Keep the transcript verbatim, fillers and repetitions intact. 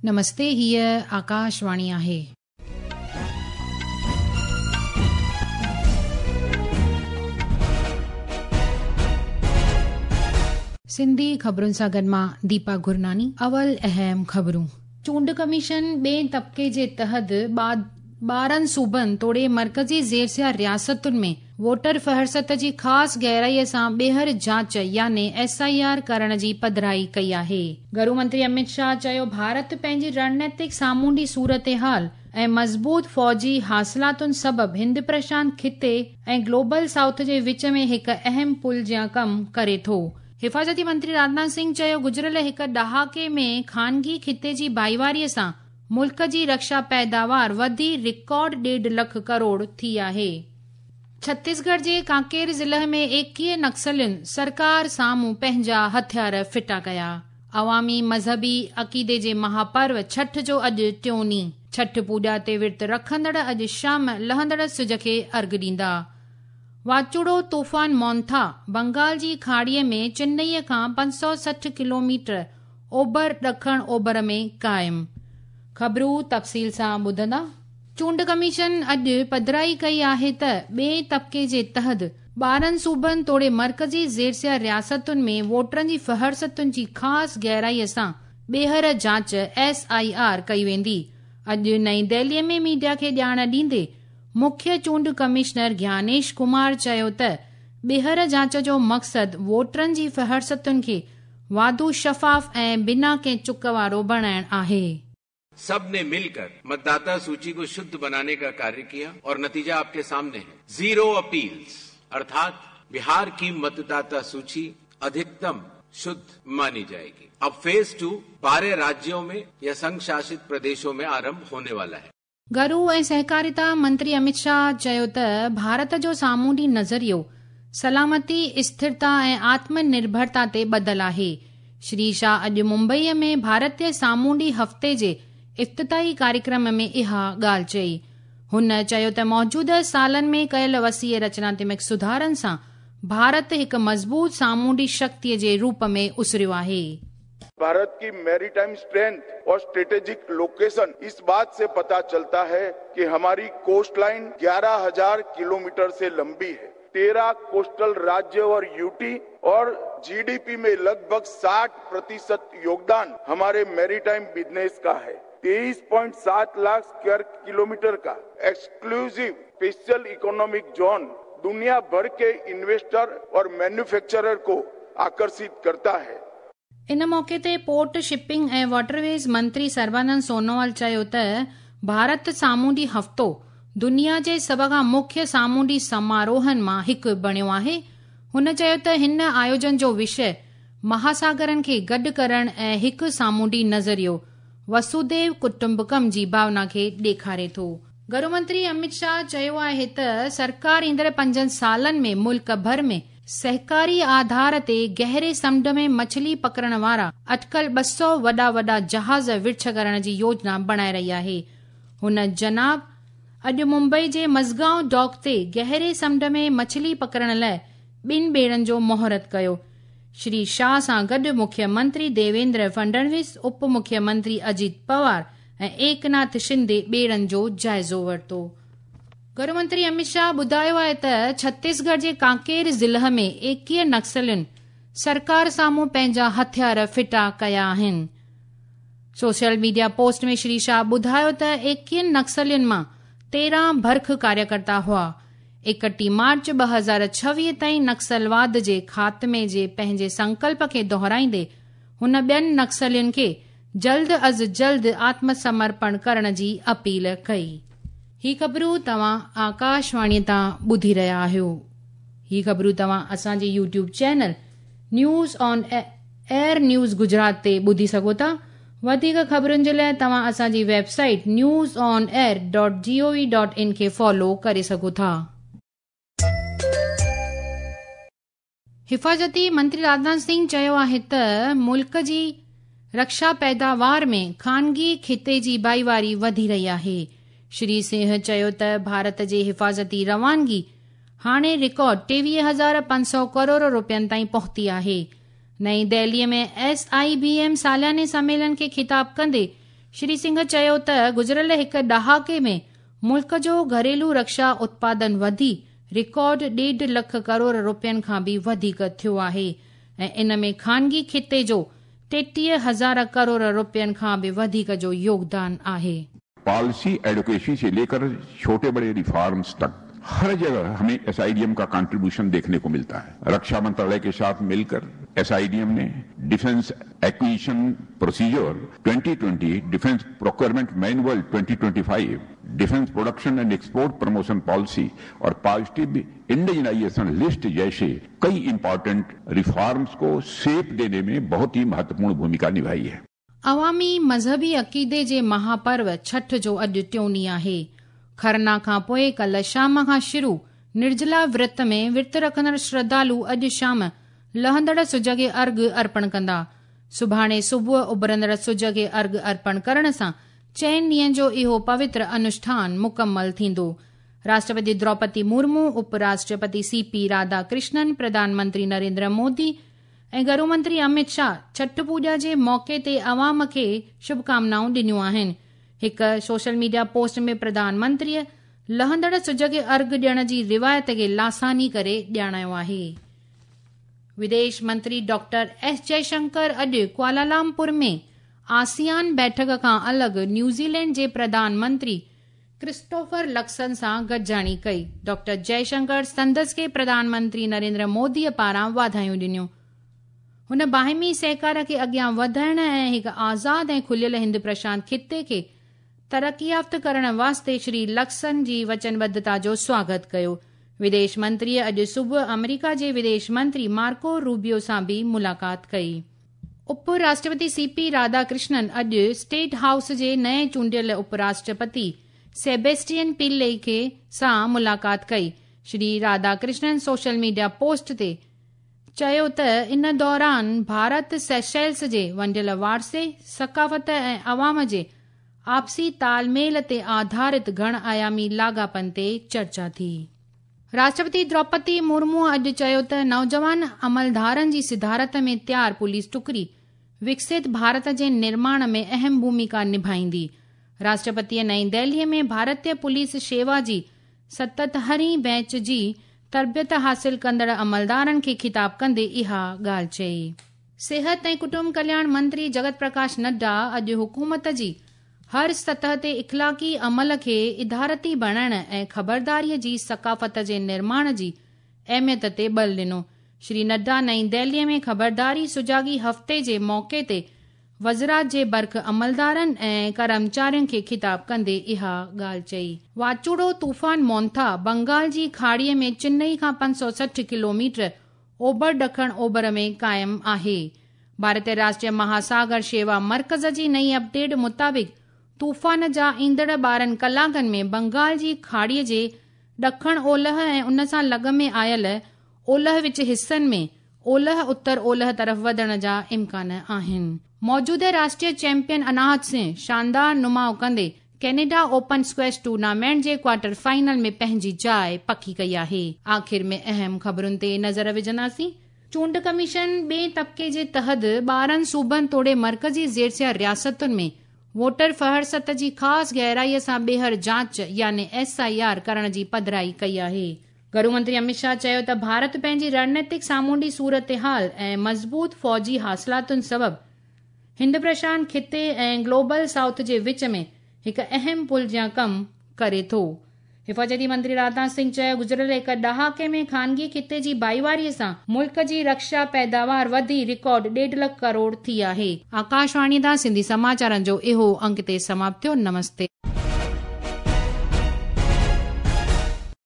नमस्ते, हीअ आकाशवाणी आहे। सिंधी ख़बरुनि सां गॾु मां दीपा गुरनानी। अवल अहम ख़बरूं। चूंड कमीशन ॿिए तबक़े जे तहत ॿारहं सूबनि तोड़े मर्कज़ी ज़ेरसिया रियासतुनि में वोटर फहरिस्त जी ख़ासि गहराईअ सां ॿीहर जांच यानी एस I R करण जी पधराई कई आहे। गृह मंत्री अमित शाह चयो, भारत पंहिंजी रणनीतिक सामुंडी सूरत हाल ऐं मज़बूत फ़ौजी हासिलातुनि सबबि हिंद प्रशांत ख़िते ऐं ग्लोबल साउथ जे विच में हिकु अहम पुल जियां कमु करे थो। हिफ़ाज़ती मंत्री राजनाथ सिंह चयो, गुज़िरियल हिकु ॾहाके में ख़ानगी ख़िते जी भाईवारीअ सां मुल्क जी रक्षा पैदावार वधी रिकॉर्ड ॾेढ लख करोड़ थी आहे। छत्तीसगढ़ जे कांकेर ज़िले में एकीह नक्सलियुनि सरकार साम्हूं पंहिंजा हथियार फिटा कया। अवामी मज़हबी अक़ीदे जे महापर्व छठ जो अॼु टियों ॾींहुं। छठ पूॼा ते विर्त रखंदड़ अॼु शाम लहंदड़ सुज खे अर्घ ॾींदा। वाचुड़ो तूफ़ान मोंथा बंगाल जी खाड़ीअ में चेन्नईअ खां पंज सौ सठि किलोमीटर ओभर ॾखण ओभर में क़ाइमु। ख़बरूं तफ़सील सां ॿुधंदा। चूंड कमीशन अॼु पधराई कई आहे त ॿिए तबक़े जे तहत ॿारहं सूबनि तोड़े मर्कज़ी ज़ेरसिया रियासतुनि में वोटरनि जी फहरिस्तुनि जी ख़ासि गहराईअ सां ॿीहर जांच एस I R कई वेंदी। अॼु नई दिल्लीअ में मीडिया खे ॼाण ॾींदे मुख्य चूंड कमिश्नर ज्ञानेश कुमार चयो त ॿीहर जांच जो मक़सदु वोटरनि जी फहरिस्तुनि खे वाधू शफ़ाफ़ ऐं बिना कंहिं चुक वारो बणाइणु आहे। सब ने मिलकर मतदाता सूची को शुद्ध बनाने का कार्य किया और नतीजा आपके सामने है। जीरो अपील्स, अर्थात बिहार की मतदाता सूची अधिकतम शुद्ध मानी जाएगी। अब फेज टू बारह राज्यों में या संघ शासित प्रदेशों में आरंभ होने वाला है। गृह ऐं सहकारिता मंत्री अमित शाह चयो त भारत जो सामुंडी नज़रियो सलामती, स्थिरता ऐं आत्मनिर्भरता ते ॿधल आहे। श्री शाह अॼु मुंबईअ में भारतीय सामुंडी हफ़्ते जे इफ़्तिताही कार्यक्रम में इहा ॻाल्हि चई। हुन चयो त मौजूदा सालनि में कयल वसीअ रचनात्मक सुधारनि सां भारत हिकु मज़बूत सामुंडी शक्तिअ जे रूप में उसरियो आहे। भारत की मैरीटाइम स्ट्रेंथ और स्ट्रेटेजिक लोकेशन इस बात से पता चलता है कि हमारी कोस्ट लाइन ग्यारह हजार किलोमीटर से लंबी है। तेरह कोस्टल राज्य और यूटी और जीडीपी में लगभग साठ प्रतिशत योगदान हमारे मैरीटाइम बिजनेस का है। तेईस पॉइंट सात लाख स्क्वायर किलोमीटर का एक्सक्लूसिव स्पेशल इकोनॉमिक जोन दुनिया भर के इन्वेस्टर और मैन्युफैक्चरर को आकर्षित करता है। इन मौके ते पोर्ट, शिपिंग ऐं वाटरवेज मंत्री सर्बानंद सोनोवाल चयो त भारत सामुंडी हफ़्तो दुनिया जे सभ खां मुख्य सामुंडी समारोहनि मां हिकु बणियो आहे। हुन चयो त हिन आयोजन जो विषय महासागरनि खे गॾु करण ऐं हिकु सामुंडी नज़रियो वसुदेव कुटुंबकम जी भावना खे ॾेखारे थो। गृह मंत्री अमित शाह चयो आहे त सरकार ईंदड़ पंजनि सालनि में मुल्क भर में सहकारी आधार ते गहरे समुंड में मछली पकड़ण वारा अटकल ॿ सौ वॾा वॾा जहाज़ विर्छ करण जी योजना बणाए रही आहे। हुन जनाब अॼु मुंबई जे मज़गांव डॉक ते गहरे समुंड में मछली पकड़ण लाइ ॿिनि ॿेड़नि जो मुहूर्त कयो। श्री शाह सां गॾु मुख्यमंत्री देवेंद्र फडणवीस, उप मुख्यमंत्री अजित पवार ऐं एकनाथ शिंदे ॿेड़नि जो जाइज़ो वरितो। गृह मंत्री अमित शाह ॿुधायो आहे त छत्तीसगढ़ जे कांकेर ज़िले में एकीह नक्सलियुनि सरकार साम्हूं पंहिंजा हथियार फिटा कया आहिनि। सोशल मीडिया पोस्ट में श्री शाह ॿुधायो त एकीहनि नक्सलियुनि मां तेरहं भरख कार्यकर्ता हुआ। एकटीह मार्च ॿ हज़ार छवीह ताईं नक्सलवाद जे ख़ात्मे जे पंहिंजे संकल्प खे दोहराईंदे हुन ॿियनि नक्सलियुनि खे जल्द अज़ जल्द आत्मसमर्पण करण जी अपील कई। ही ख़बरूं तव्हां आकाशवाणी तां ॿुधी रहिया आहियो। ही ख़बरूं तव्हां असांजे YouTube channel news on air news Gujarat ते ॿुधी सघो था। वधीक ख़बरुनि जे लाइ तव्हां असांजी website news on air dot G O V dot in खे फॉलो करे सघो था। हिफ़ाज़ती मंत्री राजनाथ सिंह चयो आहे त मुल्क जी रक्षा पैदावार में ख़ानगी ख़िते जी भाईवारी वधी रही आहे। श्री सिंह चयो त भारत जे हिफ़ाज़ती रवानगी हाणे रिकॉर्ड टेवीह हज़ार पंज सौ करोड़ रुपयनि ताईं पहुती आहे। नई दिल्लीअ में एस I B M सालाने सम्मेलन खे ख़िताब कंदे श्री सिंह चयो त गुज़िरियल हिकु ॾहाके में मुल्क जो घरेलू रक्षा उत्पादन वधी रिकॉर्ड ॾेढ लख करोड़ रुपयनि खां बि वधीक थियो आहे ऐं इन में ख़ानगी खिते जो टेटीह हज़ार करोड़ रुपयनि खां बि वधीक जो योगदान आहे। पॉलिसी एडवोकेसी से लेकर छोटे बड़े रिफॉर्म्स तक हर जगह हमें एसआईडीएम का कंट्रीब्यूशन देखने को मिलता है। रक्षा मंत्रालय के साथ मिलकर एसआईडीएम ने defence acquisition procedure twenty twenty, defence procurement manual twenty twenty five, defence production and export promotion policy और पॉजिटिव इंडिजनाइजेशन लिस्ट जैसे कई इंपॉर्टेंट रिफॉर्म्स को शेप देने में बहुत ही महत्वपूर्ण भूमिका निभाई है। अवामी मज़हबी अक़ीदे जे महापर्व छठ जो अॼु टियों ॾींहुं आहे। खरना खां पोइ कल्ह शाम खां शुरू निर्जला व्रत में विर्त रखंदड़ श्रद्धालु अॼु शाम लहंदड़ सुज खे अर्घ अर्पण कंदा। सुभाणे सुबुह उभरंदड़ सुज खे अर्घ अर्पण करण सां चइनि ॾींहंनि जो इहो पवित्र अनुष्ठान मुकमल थींदो। राष्ट्रपति द्रौपदी मुर्मू, उपराष्ट्रपति सी पी राधाकृष्णन, प्रधानमंत्री नरेंद्र मोदी ऐं गृह मंत्री अमित शाह छठ पूॼा जे मौक़े ते अवाम खे शुभकामनाऊं ॾिनियूं आहिनि। हिकु सोशल मीडिया पोस्ट में प्रधानमंत्रीअ लहंदड़ सुज खे अर्घ ॾियण जी रिवायत खे लासानी करे ॼाणायो आहे। विदेश मंत्री डॉक्टर एस जयशंकर अॼु कुआलालंपुर में आसियान बैठक खां अलॻि न्यूज़ीलैंड जे प्रधानमंत्री क्रिस्टोफर लक्सन सां गॾिजाणी कई। डॉक्टर जयशंकर संदसि खे प्रधानमंत्री नरेंद्र मोदीअ पारां वाधायूं ॾिनियूं। हुन बाहिमी सहकार खे अॻियां वधाइण ऐं हिकु आज़ाद ऐं खुलियल हिंद प्रशांत खिते खे तरक़ी याफ़्त करण वास्ते श्री लक्सन जी वचनबद्धता जो स्वागत कयो। विदेश मंत्रीअ अॼु सुबुह अमेरिका जे विदेश मंत्री मार्को रूबियो सां बि मुलाक़ात कई। उपराष्ट्रपति सी पी राधाकृष्णन अॼु स्टेट हाउस जे नए चूंडियल उपराष्ट्रपति सेबेस्टियन पिल्ले खे सां मुलाक़ात कई। Shri Radhakrishnan social media post ते चयो त इन दौरान भारत सेशेल्स जे वंडियल वारसे, सकाफ़त ऐं अवाम जे आपसी तालमेल ते आधारित घण आयामी लाॻापनि ते चर्चा थी। राष्ट्रपति द्रौपदी मुर्मू अॼु चयो त नौजवान अमलदारनि जी सिदारत में तयार पुलिस टुकड़ी विकसित भारत जे निर्माण में अहम भूमिका निभाईंदी। राष्ट्रपतीअ नई दिल्लीअ में भारतीय पुलिस शेवा जी सतहतरीं बैच जी तरबियत हासिल कंदड़ अमलदारनि खे ख़िताब कंदे इहा ॻाल्हि चई। सिहत ऐं कुटुंब कल्याण मंत्री जगत प्रकाश नड्डा अॼु हुकूमत जी हर सतह ते इख़लाक़ी अमल खे इदारती बणाइण ऐं ख़बरदारीअ जी सकाफ़त जे निर्माण जी अहमियत ते बल ॾिनो। श्री नड्डा नई दिल्लीअ में ख़बरदारी सुजागी हफ़्ते जे मौक़े ते वज़रात जे बर्ख अमलदारनि ऐं कर्मचारियुनि खे ख़िताब कंदे इहा ॻाल्हि चई। वाचूड़ो तूफ़ान मोंथा बंगाल जी खाड़ीअ में चेन्नई खां पंज सौ सठि किलोमीटर ओभर ॾखण ओभर में क़ाइमु आहे। भारतीय राष्ट्रीय महासागर शेवा मर्कज़ जी नई अपडेट मुताबिक़ तूफ़ान जा ईंदड़ ॿारहं कलाकनि में बंगाल जी खाड़ीअ जे ॾखण ओलह ऐं उन सां लॻ में आयल ओलह विच हिसनि में ओलह उत्तर ओलह तरफ़ वधण जा इम्कान आहिनि। मौजूदा राष्ट्रीय चैंपियन अनाहत सिंह शानदार नुमाउ कंदे कनाडा ओपन स्क्वैश टूर्नामेंट जे क्वार्टर फाइनल में पंहिंजी जाइ पकी कई आहे। आख़िर में अहम ख़बरुनि ते नज़र विझंदासीं। चूंड कमीशन ॿिए तबके जे तहत ॿारहं सूबनि तोड़े मर्कज़ी ज़ेरसिया रियासतुनि में वोटर फहरिस्त जी ख़ासि गहराईअ सां ॿीहर जांच यानी एस I R करण जी पधराई कई आहे। गृह मंत्री अमित शाह चयो त भारत पंहिंजी रणनीतिक सामुंडी सूरत हाल ऐं मज़बूत फ़ौजी हासिलातुनि सबबु हिंद प्रशांत खिते ऐं ग्लोबल साउथ जे विच में हिकु अहम पुल जियां कमु करे थो। हिफाज़ती मंत्री राजनाथ सिंह चयो गुज़िरियल हिकु ॾहाके में ख़ानगी खिते जी भाईवारीअ सां मुल्क जी रक्षा पैदावार वधी रिकॉर्ड ॾेढ लख करोड़ थी आहे। आकाशवाणी तां सिंधी समाचारनि जो इहो अंक ते समाप्त थियो। नमस्ते।